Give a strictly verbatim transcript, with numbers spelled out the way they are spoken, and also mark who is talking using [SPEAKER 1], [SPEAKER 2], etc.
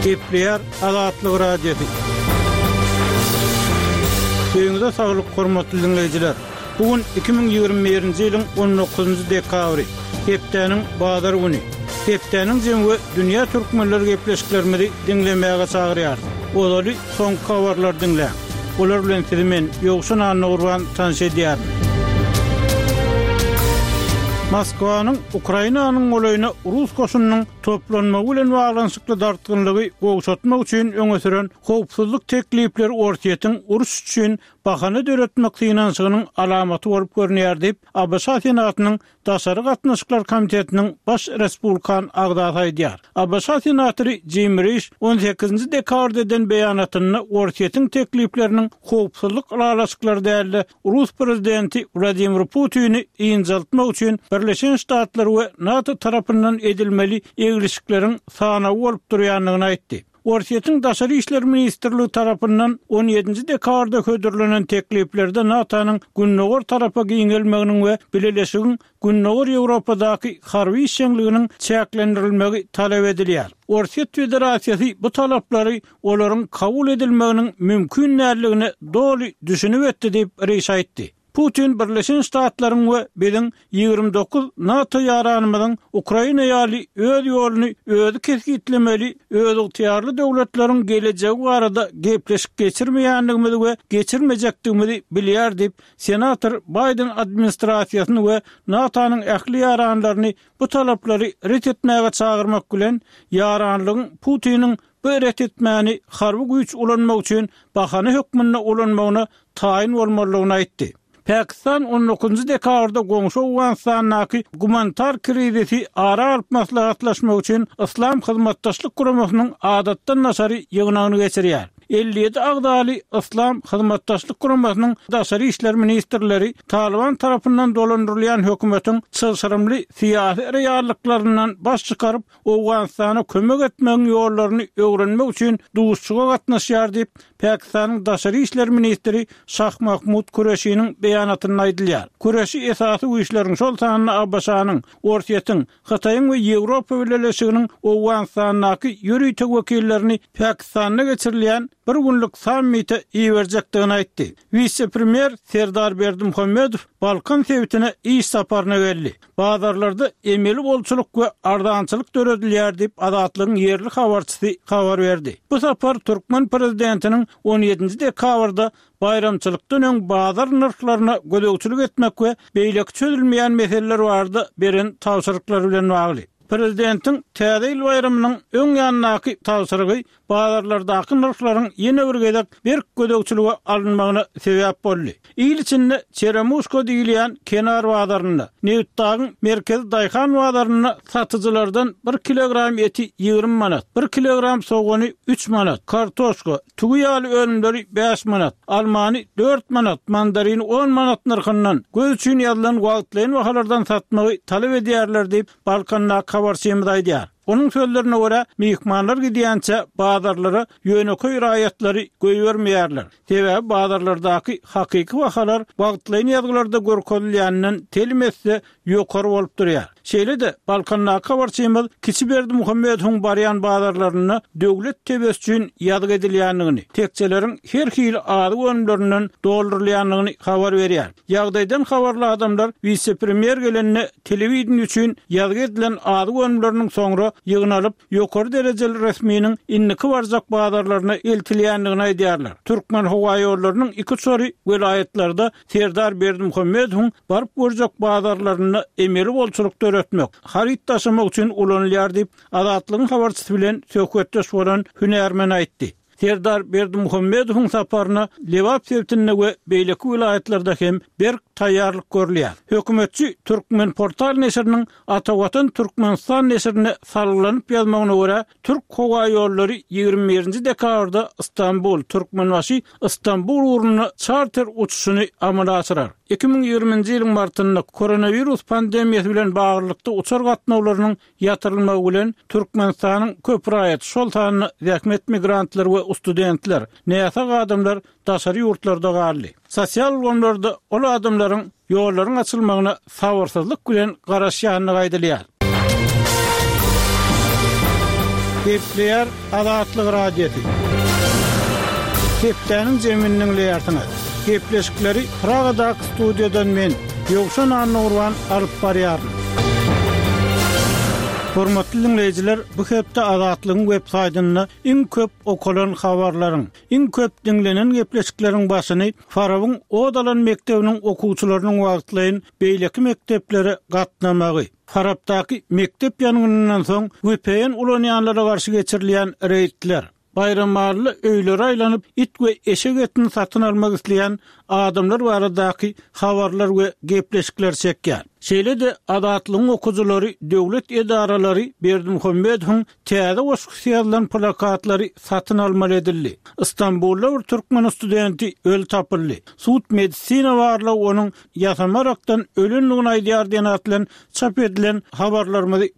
[SPEAKER 1] Gepleýär Azatlyk Radiosy. Öýüňize saglyk, hormatly diňleýjiler. Bu gün iki müň ýigrimi birinji ýylyň on dokuzynjy dekabry, hepdäniň bazar güni. Hepdäniň jemi we dünýä türkmenleri gepleşiklerimizi diňlemäge çagyrýarys. Ozaly soňky habarlary diňläň. Olar bilen sizi men, Ýowşan Annagurban tanyş edýärin. Moskwanyň Ukrainanyň golaýyna rus goşunynyň toplanmagy bilen baglanyşykly dartgynlygy gowşatmak üçin öňe süren howpsuzlyk teklipleri Orsýetiň uruş üçin bahana döretmek synanyşygynyň alamaty bolup görünýär diýip, A B Ş Senatynyň Daşary gatnaşyklar komitetiniň baş respublikan agzasy aýdýar. A B Ş senatory Jim Riş on sekizinji dekabrda eden beýanatynda Orsýetiň teklipleriniň howpsuzlyk ylalaşyklary däl-de rus prezidenti Wladimir Putini ynjaltmak üçin Birleşen Ştatlar we NATO tarapyndan edilmeli eglişikleriň sanawy bolup durýandygyny aýtdy. Orsýetiň Daşary işler ministrligi tarapyndan on ýedinji dekabrda hödürlenen tekliplerde NATO-nyň gündogar tarapa giňelmeginiň we bileleşigiň Gündogar Ýewropadaky harby işjeňliginiň çäklendirilmegi talap edilýär. Orsýet Federasiýasy bu talaplary olaryň kabul edilmeginiň mümkin däldigine doly düşünip etdi diýip, Riş aýtdy. Putin Birleşen Ştatlaryň we biziň ýigrimi dokuz NATO ýaranymyzyň Ukraina ýaly öz ýoluny özi kesgitlemeli özygtyýarly döwletleriň gelejegi barada gepleşik geçirmeýändigimizi we geçirmejekdigimizi bilýär diýip, senator Baýden administrasiýasyny we NATO-nyň ähli ýaranlaryny bu talaplary ret etmäge çagyrmak bilen, ýaranlygyň Putiniň bu ret etmäni harby güýç ulanmak üçin bahana hökmünde ulanmagyna taýyn bolmalydygyny aýtdy. Pakistan on dokuzynjy dekabrda goňşy Owganystandaky gumanitar krizisi ara alyp maslahatlaşmak üçin Yslam Hyzmatdaşlyk Guramasynyň adatdan daşary ýygnagyny geçirýär. Elli ýedi agzaly Yslam Hyzmatdaşlyk Guramasynyň daşary işler ministrleri Taliban tarapyndan dolandyrylýan hökümetiň çylşyrymly syýasy reallyklaryndan baş çykaryp, Owganystana kömek etmegiň ýollaryny öwrenmek üçin duşuşyga gatnaşýar diýip, Pakistanyň daşary işler ministri Şah Mahmud Kureşiniň beýanatynda aýdylýar. Kureşi esasy güýçleriň, şol sanda A B Ş-nyň, Orsýetiň, Hytaýyň we Ýewropa Bileleşiginiň Owganystandaky ýörite wekillerini Pakistanda geçirilýän bir günlük sammite iberjekdigini aýtdy. Wise-premýer Serdar Berdimuhamedow Balkan sebitine iş saparyna geldi. Bazarlarda emeli bolçulyk we arzançylyk döredilýär diýip, Azatlygyň ýerli habarçysy habar berdi. Bu sapar türkmen prezidentiniň on ýedinji dekabrda baýramçylykdan öň bazar nyrhlaryna gözegçilik etmek we beýleki çözülmeýän meseleler barada beren tabşyryklary bilen bagly. Prezidentiň Täze ýyl baýramynyň öň ýanyndaky tabşyrygy bazarlardaky nyrhlaryň ýene bir gezek berk gözegçilige alynmagyna sebäp boldy. Il içinde Çeremuşka diýilýän kenar bazarynda, Nebitdagyň merkezi daýhan bazarynda satyjylardan bir kilogram eti ýigrimi manat, bir kilogram sogany üç manat, kartoşka, tüwi ýaly önümleri bäş manat, almany dört manat, mandarini on manat nyrhyndan göz üçin ýazylan wagtlaýyn bahalardan satmagy talap edýärler diýip, Balkandaky habarçymyz aýdýar. Onuň sözlerine görä, myhmanlar gidýänçä bazarlara ýönekeý raýatlary goýbermeýärler. Sebäbi bazarlardaky hakyky bahalar wagtlaýyn ýazgylarda görkezilýäninden telim etse ýokary bolup durýar. Şeýle-de Balkandaky habarçymyz Kiçi Berdimuhamedowyň barýan bazarlarynda döwlet tebesi üçin ýazgy edilýändigini, tekjeleriň her hili azyk önümlerinden doldurylýandygyny habar berýär. Ýagdaýdan habarly adamlar wise-premýer gelende telewideniýe üçin ýazgy edilen azyk önümleriniň soňra ýygnalyp, ýokary derejeli resminiň indiki barjak bazarlaryna eltilýändigini aýdýarlar. Türkmen howa ýollarynyň iki uçary welaýatlarda Serdar Berdimuhamedowyň baryp görjek bazarlarynda emeli bolçulyk döretmek, haryt daşamak üçin ulanylýar diýip, Azatlygyň habarçysy bilen söhbetdeş bolan hünärmen aýtdy. Serdar Berdimuhamedowyň saparyna Lebap sebitinde we beýleki welaýatlarda hem berk taýýarlyk görülýär. Hökümetçi Türkmenportal neşiriniň Ata Watan Türkmenistan neşirine salgylanyp ýazmagyna görä, Türk howa ýollary ýigrimi birinji dekabrda Istanbul, Türkmenbaşy Istanbul ugrunda çarter uçuşyny amala aşyrar. Iki müň ýigriminji ýylyň martynda koronawirus pandemiýasy bilen baglylykda uçar gatnawlarynyň ýatyrylmagy bilen Türkmenistanyň köp raýaty, şol sanda zähmet migrantlary we studentler, näsag adamlar daşary ýurtlarda galdy. Sosial ulgamlarda ol adamlaryň ýollaryň açylmagyna sabyrsyzlyk bilen garaşýandygy aýdylýar. Gepleýär Azatlyk Radiosy. Hepdäniň jemini diňleýärsiňiz. Gepleşikleri Pragadaky studiýadan men, Ýowşan Annagurban alyp barýaryn. Hormatly diňleýjiler, bu hepde Azatlygyň web saýtynda iň köp okalan habarlaryň, iň köp diňlenen gepleşikleriň başyny Farabyň ot alan mekdebiniň okuwçylarynyň wagtlaýyn beýleki mekdeplere gatnamagy, Farapdaky mekdep ýangynyndan soň V P N ulanýanlara garşy geçirilýän reýdler, Baýramalyda öýlere aýlanyp it we eşek etini satyn almak isleýän adamlar baradaky habarlar we gepleşikler çekýär. Şeýle-de Azatlygyň okyjylary döwlet edaralary Berdimuhamedowyň täze goşgusy ýazylan plakatlary satyn almaly edildi. Istanbulda bir türkmen studenti öli tapyldy. Sud medisina barlagy onuň ýasama arakdan ölendigini aýdýar diýen at bilen çap edilen habarlarymyzy